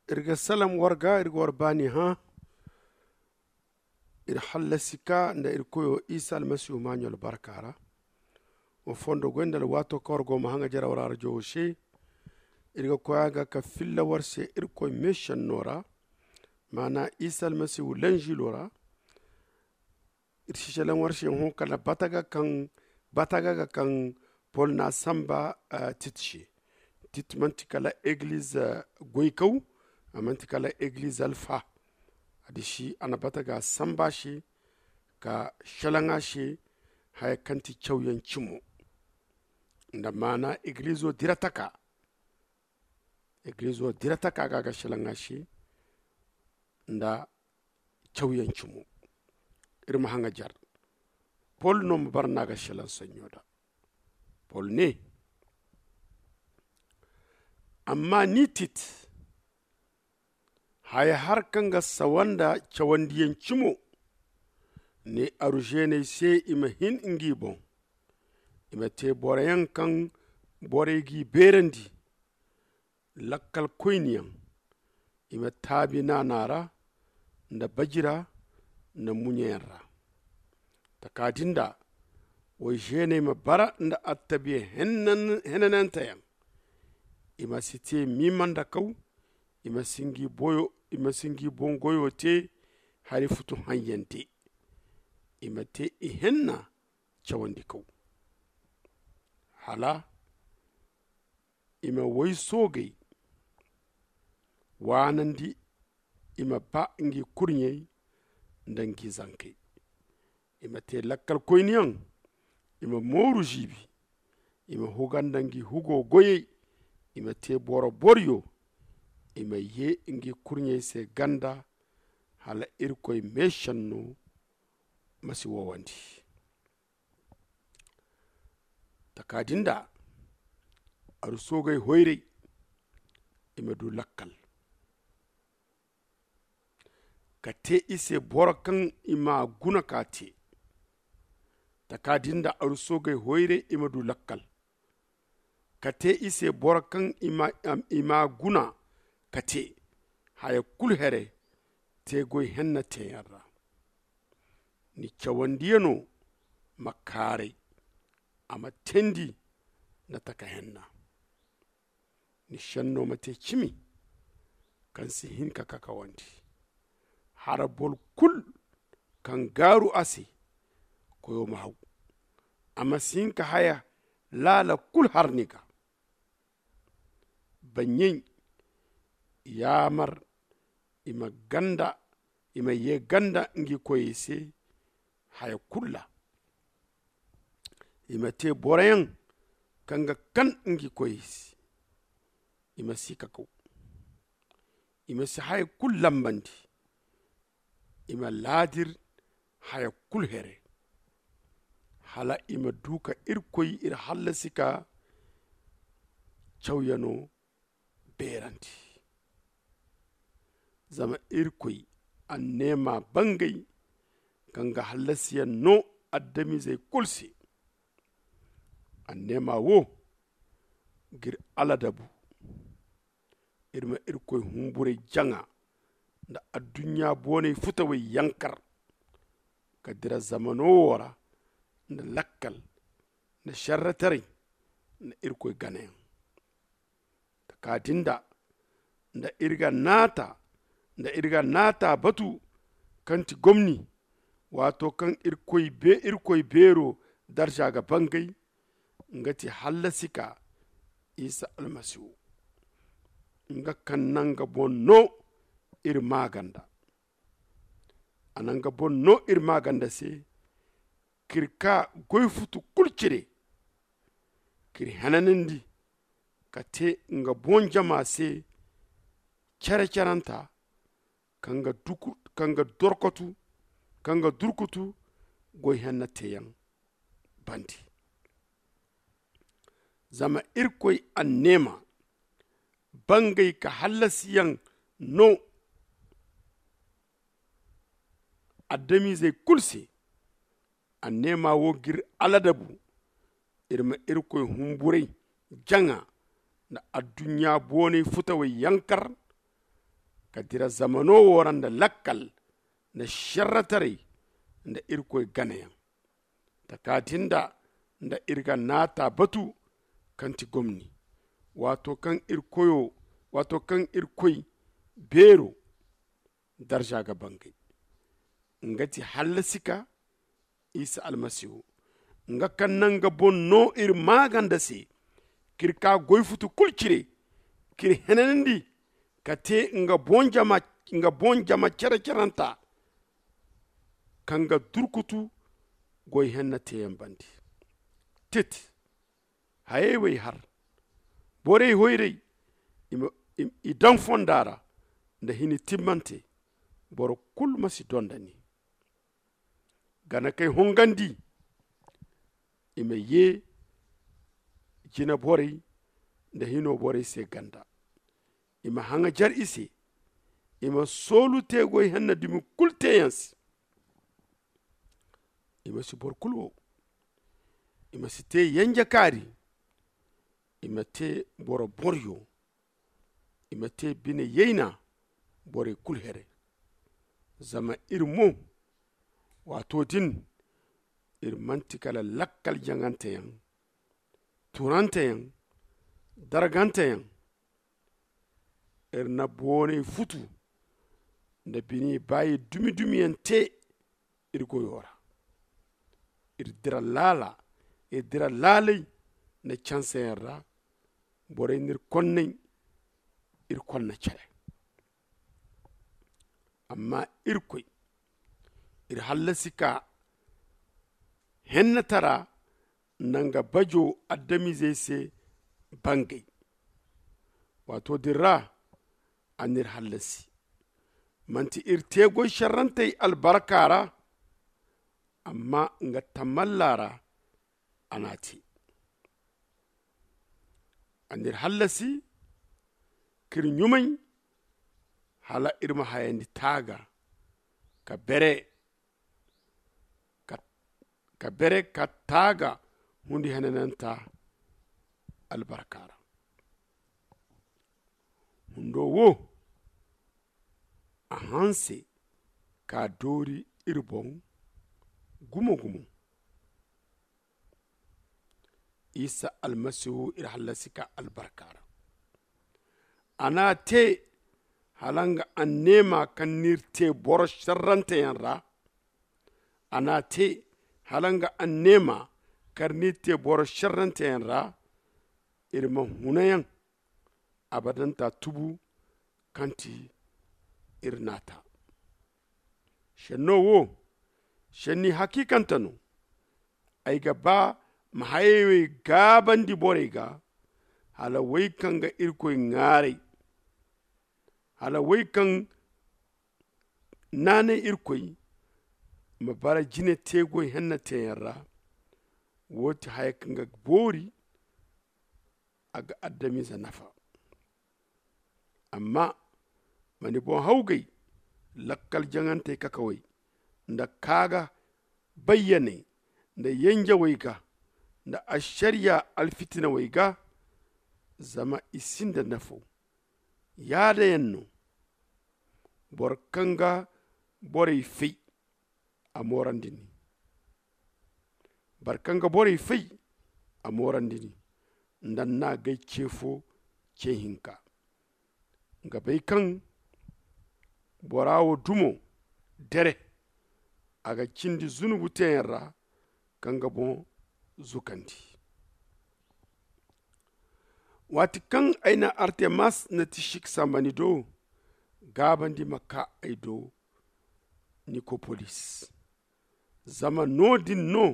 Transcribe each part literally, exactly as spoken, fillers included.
Iri ga salaŋ war ga, iri ga war baani hã. Iri hallasi ka nda iri koyo isa almasihu maaɲo albarka ra. Wa fondo goy nda alwaato kaŋ war go ma haŋajer war arajo wo se. Iri ga koy a ga ka filla war se iri koy meesenno ra, maana isa almasihu lanzilo ra. Iri si selaŋ war se hõ kala bataga kaŋ bataga ga kaŋ pol na a samba. Tit se tit manti kala egliz goykaw. A manti kala egliz alfa. A disi a na bataga samba se ka selaŋ a se haya kaŋ ti cawyaŋ cimo nda maana eglizo dira taka. Eglizo dira taka ga a ga selaŋ a se nda cawyaŋ cimo. Iri ma haŋajer pol no ma bara no a ga selaŋ saɲɲo da. Pol ne, amma ni tit haya har kaŋ ga sawa nda cawandiyaŋ cimo. Ne aru zeeney se i ma hin ngi boŋ i ma te boroyaŋ kaŋ borey g'i beerandi. Lakkal koyniyaŋ i ma taabi naana ra nda baji ra nda muɲeyaŋ ra. Taka din da woy zeeney ma bara nda attabiya henananteyaŋ. I ma si te miima nda kaw. I ma si ngi boŋ goyo te hari futu haŋyaŋ de. I ma te ihenna cawandi kaw hala i ma woy soogey waanandi. I ma ba ngi kurɲey nda ngi zankey. I ma te lakkal koyniyaŋ. I ma mooru ziibi. I ma huga nda ngi hugo goyey. I ma te boro boryo. I ma ye ngi kurɲey se ganda hala irkoy meesenno ma si wowandi. Taka din da aru soogey hoyray i ma du lakkal ka te i se boro kaŋ i ma guna ka te. Taka din da aru soogey hoyray i ma du lakkal ka te i se boro kaŋ i ma guna ka te haya kulu here te goy henna teeyaŋ ra. Ni cawandiyano ma kaaray a ma teendi nda taka henna. Ni senno ma te cimi kaŋ si hin ka kakawandi. Hara boro kulu kaŋ gaaru a se koyo ma haw. A ma si hin ka haya laala kulu har ni ga. Baɲɲey yaamar i ma ganda i ma ye ganda ngi koyey se. Haya kulu ra i ma te boroyaŋ kaŋ ga kan ngi koyey se. I ma si kakaw. I ma si haya kulu lambandi. I ma laadir haya kulu here hala i ma du ka irkoy iri hallasi ka cawyano beerandi. Zama irkoy anneema bangay kaŋ ga hallasiyaŋ no adamizey kulu se. Anneema wo g'iri aladabu iri ma irkoy humburay jaŋa nda adduɲɲa boonay futawey yankar ka dira zamano wo ra nda lakkal nda šerretaray nda irkoy ganayaŋ. Taka din da nda iri ga naata nda iri ga naata batu kaŋ ti gomni waato kaŋ irkoy beero darza ga bangay nga ti hallasi ka isa almasihu. Nga kaŋ na nga boŋ no iri maaganda a na nga boŋ no iri maaganda se k'iri ka goy futu kulu cire k'iri henanandi ka te nga boŋ jama se cere-cerenta kaŋ ga dorkotu kaŋ ga durkutu goy henna teeyaŋ bande. Zama irkoy anneema bangay ka hallasiyaŋ no adamizey kulu se. Anneema wo g'iri aladabu iri ma irkoy humburay jaŋa nda adduɲɲa boonay futawey yankar ka dira zamano wo ra nda lakkal nda šerretaray nda irkoy ganayaŋ. Taka din da nda iri ga naata batu kaŋ ti gomni, waato kaŋ irkoyo waato kaŋ irkoy beero darza ga bangay, nga ti hallasika isa almasihu, nga kaŋ naŋ nga boŋ no iri maaganda se k'iri ka goy futu kulu cire k'iri henanandi ka te nga boŋ jama cere-cerenta kaŋ ga durkutu goy henna teeyaŋ bande. Tit hayey wey har borey hoyray i daŋ fonda ra nda hini timmante. Boro kulu ma si dondani gana kay hongandi i ma ye jina borey nda hino borey se ganda. I ma haŋajar i se i ma soolu teegoy henna dumi kulu teeyaŋ se. I ma si boro kulu wo i ma si te yanja kaari. I ma te boro boryo i ma te bine yayna borey kulu here. Zama iri mo waato din iri manti kala lakkal jaŋanteyaŋ, turanteyaŋ, darganteyaŋ. Iri na booney futu nda bini baayi dumi-dumiyaŋ te iri goyo ra. Iri dira laala iri dira laalay nda canseyaŋ ra. Borey n'iri konnay iri konna care. Amma irkoy iri hallasi ka hennatara nda nga bajo adamizey se bangay. Waato din ra a n'iri hallasi manti iri te goy šerrantey albarka ra. Amma nga tamalla ra a n'a te. A n'iri hallasi k'iri ɲumay hala iri ma hayandi taaga ka bere ka bere ka taaga hundi henananta albarka ra. Hundo wo a hanse ka doori iri boŋ gumo-gumo. Isa almasihu iri hallasi ka albarka ra. A n'a te hala nga anneema kaŋ n'iri te boro šerranteyaŋ ra. A n'a te hala nga anneema kaŋ n'iri te boro šerranteyaŋ ra. Iri ma hunayaŋ abadanta tubu kaŋ ti iri naata. Šenno wo šenni hakiikante no. Ay ga ba ma hayey wey gaabandi borey ga hala wey kaŋ ga irkoy ŋaaray hala wey kaŋ naanay irkoy ma bara jine teegoy henna teeyaŋ ra. Wo ti haya kaŋ ga boori a ga adamize nafa. Amma ma ni boŋ hawgay lakkal jaŋantey kakawey nda kaaga bayyaney nda yenjewey ga nda ašariya alfitinawey ga. Zama i sinda nafo yaadayaŋ no. Boro kaŋ ga borey fay a moorandi ni. Boro kaŋ ga borey fay a moorandi ni nda ni n'a gay ce fo ce hinka. Nga bay kaŋ bora wo dumo dere a ga cindi zunubu teeyaŋ ra kaŋ ga boŋ zukandi. Waati kaŋ ay na artemas na tishik samba ni do gaabandi ma kaa ay do nikopolis. Zama no-din no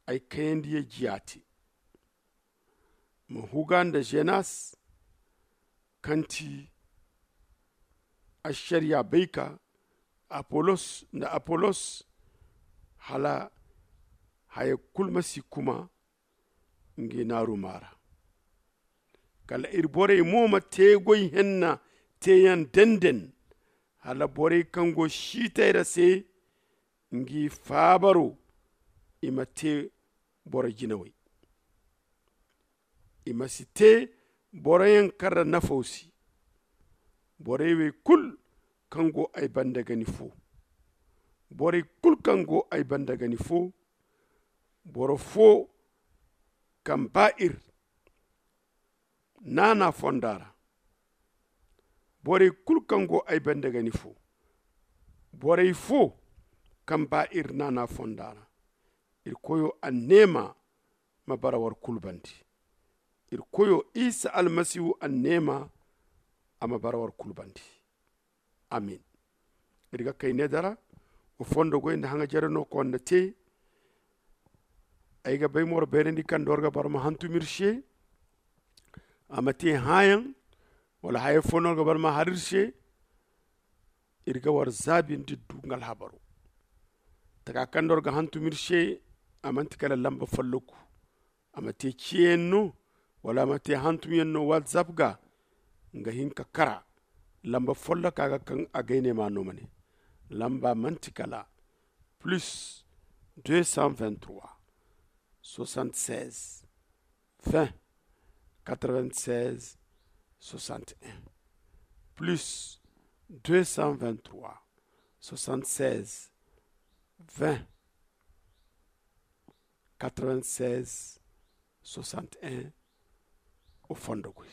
ay kayandi ye jiya te. Ma huga nda zenas kaŋ ti ašariya bayka apolos nda apolos hala haya kulu ma si kuma ngi naaruma ra. Kala iri borey mo ma te goy henna teeyaŋ denden hala borey kaŋ go siitay ra se ngi faabaro i ma te boro jinawey. I ma si te boroyaŋ kaŋ ra nafo si Borey wey kul kaŋ go ay banda ga ni fo. Borey kul kaŋ go ay banda ga ni fo. Boro fo kaŋ ba ir naana fonda ra. Borey kul kaŋ go ay banda ga ni fo. Borey fo kaŋ ba ir naana fonda ra. Iri koyo anneema ma bara war kul bandi. Iri koyo isa almasihu anneema a ma bara war kul bandi. Amin. Iri ga kay ne dara wa fondo goy nda haŋa jare no ko na te. Ay ga bay moro beerandi kaŋ doro ga bara ma hantum iri se. A ma te hãyaŋ wala haya fo no ga bara ma har iri se. Iri ga war zaabindi du nga alhabaro. Taka kaŋ doro ga hantum iri se. A manti kala lamba folloku. A ma te ciyayaŋ no wala a ma te hantumyaŋ no whatsapp ga. Nga hin ka kara lamba folloka ga kaŋ a gayne ma no ma ne. Lamba manti kala plus deux cent vingt-trois soixante-seize vingt quatre-vingt-seize soixante-un plus deux cent vingt-trois soixante-seize vingt quatre-vingt-seize soixante-un. O fondo goy.